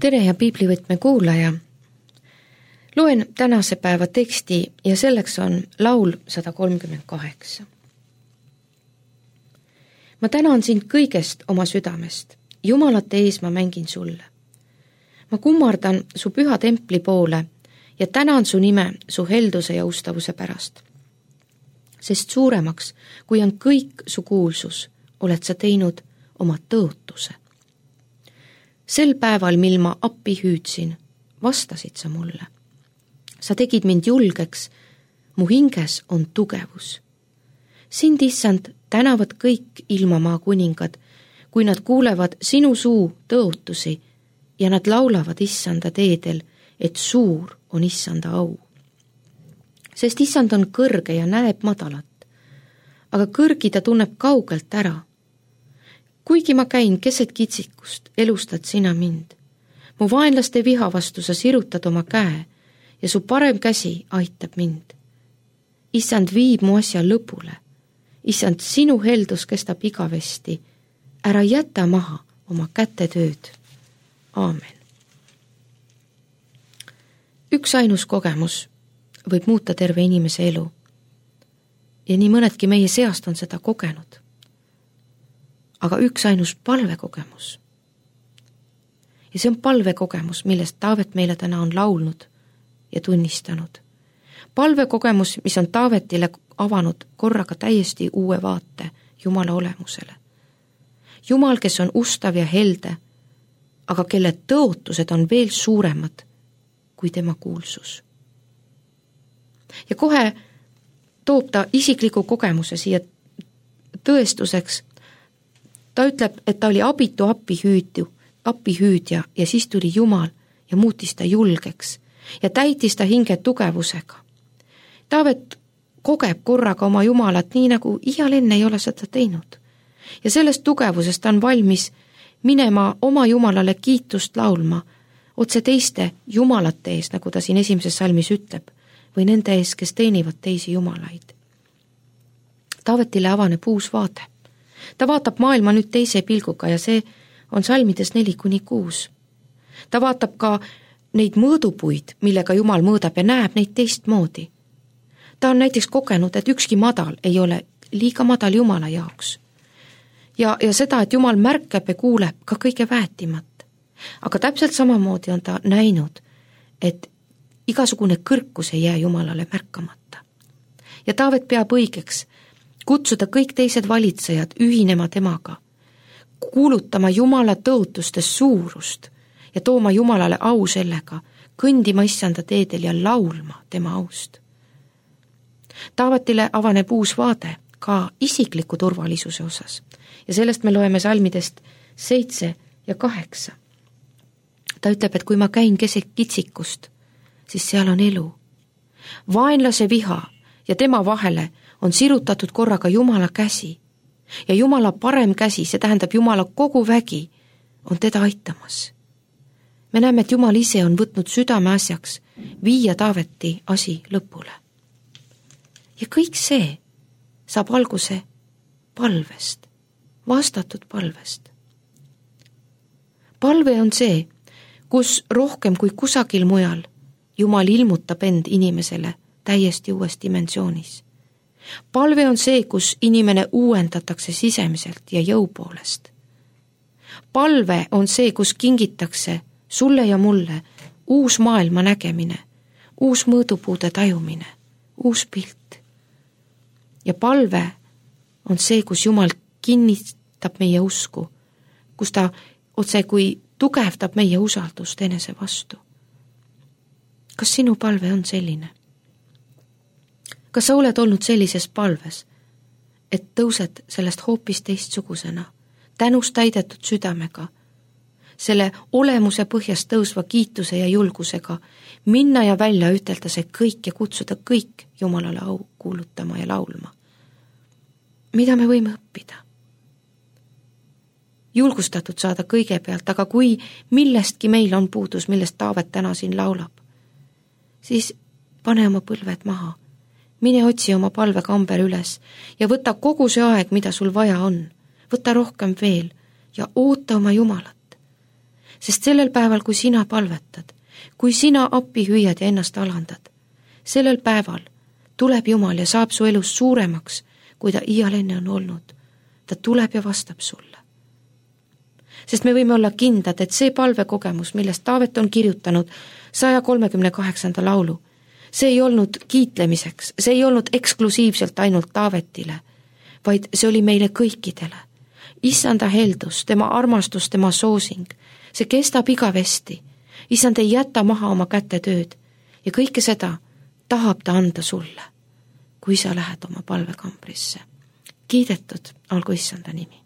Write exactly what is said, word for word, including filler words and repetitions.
tere ja piiblivõtme kuulaja. Loen tänase päeva teksti ja selleks on laul sada kolmkümmend kaheksa. Ma tänan sind kõigest oma südamest. Jumalate ees ma mängin sulle. Ma kummardan su püha templi poole ja tänan su nime su helduse ja ustavuse pärast. Sest suuremaks, kui on kõik su kuulsus, oled sa teinud oma tõotuse. Sel päeval, mil ma appi hüüdsin, vastasid sa mulle. Sa tegid mind julgeks, mu hinges on tugevus. Sind, issand, tänavad kõik ilmamaa kuningad, kui nad kuulevad sinu suu tõotusi ja nad laulavad issanda teedel, et suur on issanda au. Sest issand on kõrge ja näeb madalat, aga kõrgi ta tunneb kaugelt ära. Kuigi ma käin keset kitsikust, elustad sina mind. Mu vaenlaste viha vastu sa sirutad oma käe ja su parem käsi aitab mind. Issand viib mu asja lõpule. Issand, sinu heldus kestab igavesti. Ära jäta maha oma kätetööd. Aamen. Üks ainus kogemus võib muuta terve inimese elu. Ja nii mõnedki meie seast on seda kogenud. Aga üks ainus palvekogemus. Ja see on palvekogemus, millest Taavet meile täna on laulnud ja tunnistanud. Palvekogemus, mis on Taavetile avanud korraga täiesti uue vaate Jumala olemusele. Jumal, kes on ustav ja helde, aga kelle tõotused on veel suuremad kui tema kuulsus. Ja kohe toob ta isikliku kogemuse siia tõestuseks. Ta ütleb, et ta oli abitu appihüüdju, appihüüdja ja siis tuli Jumal ja muutis ta julgeks ja täitis ta hinge tugevusega. Taavet kogeb korraga oma Jumalat nii, nagu iial enne ei ole seda teinud. Ja sellest tugevusest ta on valmis minema oma Jumalale kiitust laulma otse teiste Jumalate ees, nagu ta siin esimeses salmis ütleb, või nende ees, kes teenivad teisi Jumalaid. Taavetile avaneb uus vaade. Ta vaatab maailma nüüd teise pilguga ja see on salmides neli kuni kuus. Ta vaatab ka neid mõõdupuid, millega Jumal mõõdab ja näeb neid teistmoodi. Ta on näiteks kogenud, et ükski madal ei ole liiga madal Jumala jaoks. Ja, ja seda, et Jumal märkab ja kuuleb ka kõige väetimat. Aga täpselt samamoodi on ta näinud, et igasugune kõrkus ei jää Jumalale märkamata. Ja Taavet peab õigeks kutsuda kõik teised valitsejad ühinema temaga, kuulutama Jumala tõotustes suurust ja tooma Jumalale au sellega, kõndima issanda teedel ja laulma tema aust. Taavetile avaneb uus vaade ka isikliku turvalisuse osas ja sellest me loeme salmidest seitse ja kaheksa. Ta ütleb, et kui ma käin keset kitsikust, siis seal on elu. Vaenlase viha ja tema vahele on sirutatud korraga Jumala käsi ja Jumala parem käsi, see tähendab Jumala kogu vägi, on teda aitamas. Me näeme, et Jumal ise on võtnud südame asjaks viia Taaveti asi lõpule. Ja kõik see saab alguse palvest, vastatud palvest. Palve on see, kus rohkem kui kusagil mujal Jumal ilmutab end inimesele täiesti uues dimensioonis. Palve on see, kus inimene uuendatakse sisemiselt ja jõu poolest. Palve on see, kus kingitakse sulle ja mulle uus maailma nägemine, uus mõõdupuude tajumine, uus pilt. Ja palve on see, kus Jumal kinnitab meie usku, kus ta otse kui tugevdab meie usaldust enese vastu. Kas sinu palve on selline? Kas sa oled olnud sellises palves, et tõused sellest hoopis teistsugusena, tänust täidetud südamega, selle olemuse põhjast tõusva kiituse ja julgusega, minna ja välja ütelda see kõik ja kutsuda kõik Jumalale au kuulutama ja laulma? Mida me võime õppida? Julgustatud saada kõigepealt, aga kui millestki meil on puudus, millest Taavet täna siin laulab, siis pane oma põlved maha. Mine otsi oma palvekamber üles ja võta kogu see aeg, mida sul vaja on. Võta rohkem veel ja oota oma Jumalat. sest sellel päeval, kui sina palvetad, kui sina appi hüüad ja ennast alandad, sellel päeval tuleb Jumal ja saab su elus suuremaks, kui ta iial enne on olnud. Ta tuleb ja vastab sulle. Sest me võime olla kindlad, et see palvekogemus, millest Taavet on kirjutanud saja kolmekümne kaheksanda laulu, see ei olnud kiitlemiseks, see ei olnud eksklusiivselt ainult Taavetile, vaid see oli meile kõikidele. Issanda heldus, tema armastus, tema soosing, see kestab igavesti. Issand ei jäta maha oma käte tööd ja kõike seda tahab ta anda sulle, kui sa lähed oma palvekambrisse. Kiidetud olgu Issanda nimi.